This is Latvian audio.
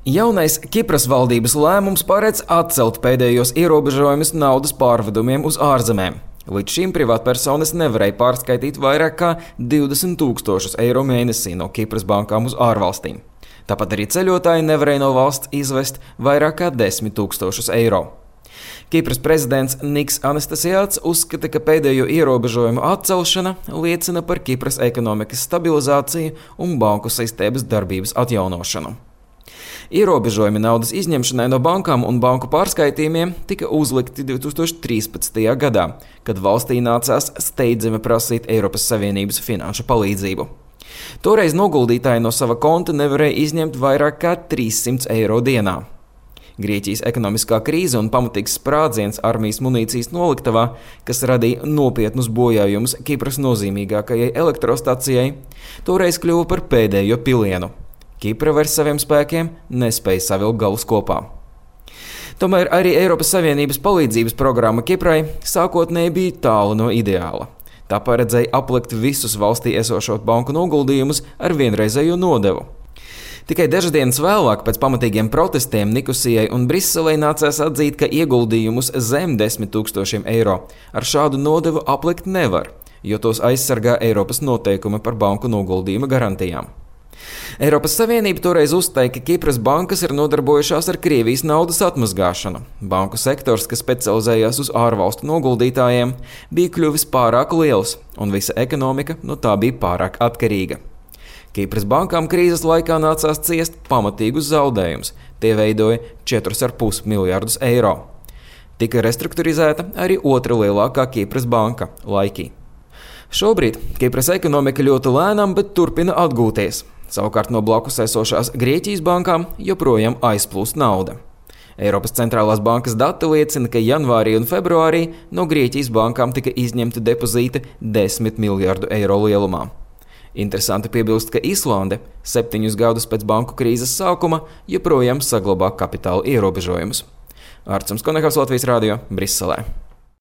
Jaunais Kipras valdības lēmums paredz atcelt pēdējos ierobežojumus naudas pārvedumiem uz ārzemēm. Līdz šim privātpersonas nevarēja pārskaitīt vairāk kā 20 000 eiro mēnesī no Kipras bankām uz ārvalstīm. Tāpat arī ceļotāji nevarēja no valsts izvest vairāk kā 10 000 eiro. Kipras prezidents Niks Anastasiāds uzskata, ka pēdējo ierobežojumu atcelšana liecina par Kipras ekonomikas stabilizāciju un banku sistēmas darbības atjaunošanu. Ierobežojumi naudas izņemšanai no bankām un banku pārskaitījumiem tika uzlikti 2013. gadā, kad valstī nācās steidzami prasīt Eiropas Savienības finanšu palīdzību. Toreiz noguldītāji no sava konta nevarēja izņemt vairāk kā 300 eiro dienā. Grieķijas ekonomiskā krīze un pamatīgs sprādziens armijas munīcijas noliktavā, kas radīja nopietnus bojājumus Kipras nozīmīgākajai elektrostacijai, toreiz kļuva par pēdējo pilienu. Kipra vairs saviem spēkiem nespēja savilkt galus kopā. Tomēr arī Eiropas Savienības palīdzības programma Kiprai sākotnēji bija tālu no ideāla. Tā paredzēja aplikt visus valstī esošos banku noguldījumus ar vienreizējo nodevu. Tikai dažas dienas vēlāk, pēc pamatīgiem protestiem Nikosijai un Briselei nācās atzīt, ka ieguldījumus zem 10 000 eiro ar šādu nodevu aplikt nevar, jo tos aizsargā Eiropas noteikumi par banku noguldījuma garantijām. Eiropas Savienība toreiz uzstāja, ka Kipras bankas ir nodarbojušās ar Krievijas naudas atmazgāšanu. Banku sektors, kas specializējās uz ārvalstu noguldītājiem, bija kļuvis pārāk liels, un visa ekonomika no tā bija pārāk atkarīga. Kipras bankām krīzes laikā nācās ciest pamatīgus zaudējumus. Tie veidoja 4,5 miljardus eiro. Tika restruktūrizēta arī otra lielākā Kipras banka – Laiki. Šobrīd Kipras ekonomika ļoti lēnām, bet turpina atgūties. Savukārt no blakus esošās Grieķijas bankām joprojām aizplūst nauda. Eiropas centrālās bankas dati liecina, ka janvārī un februārī no Grieķijas bankām tika izņemti depozīti 10 miljardu eiro lielumā. Interesanti piebilst, ka Islande 7 gadus pēc banku krīzes sākuma joprojām saglabā kapitāla ierobežojumus. Arturs Konehals, Latvijas radio, Briselē.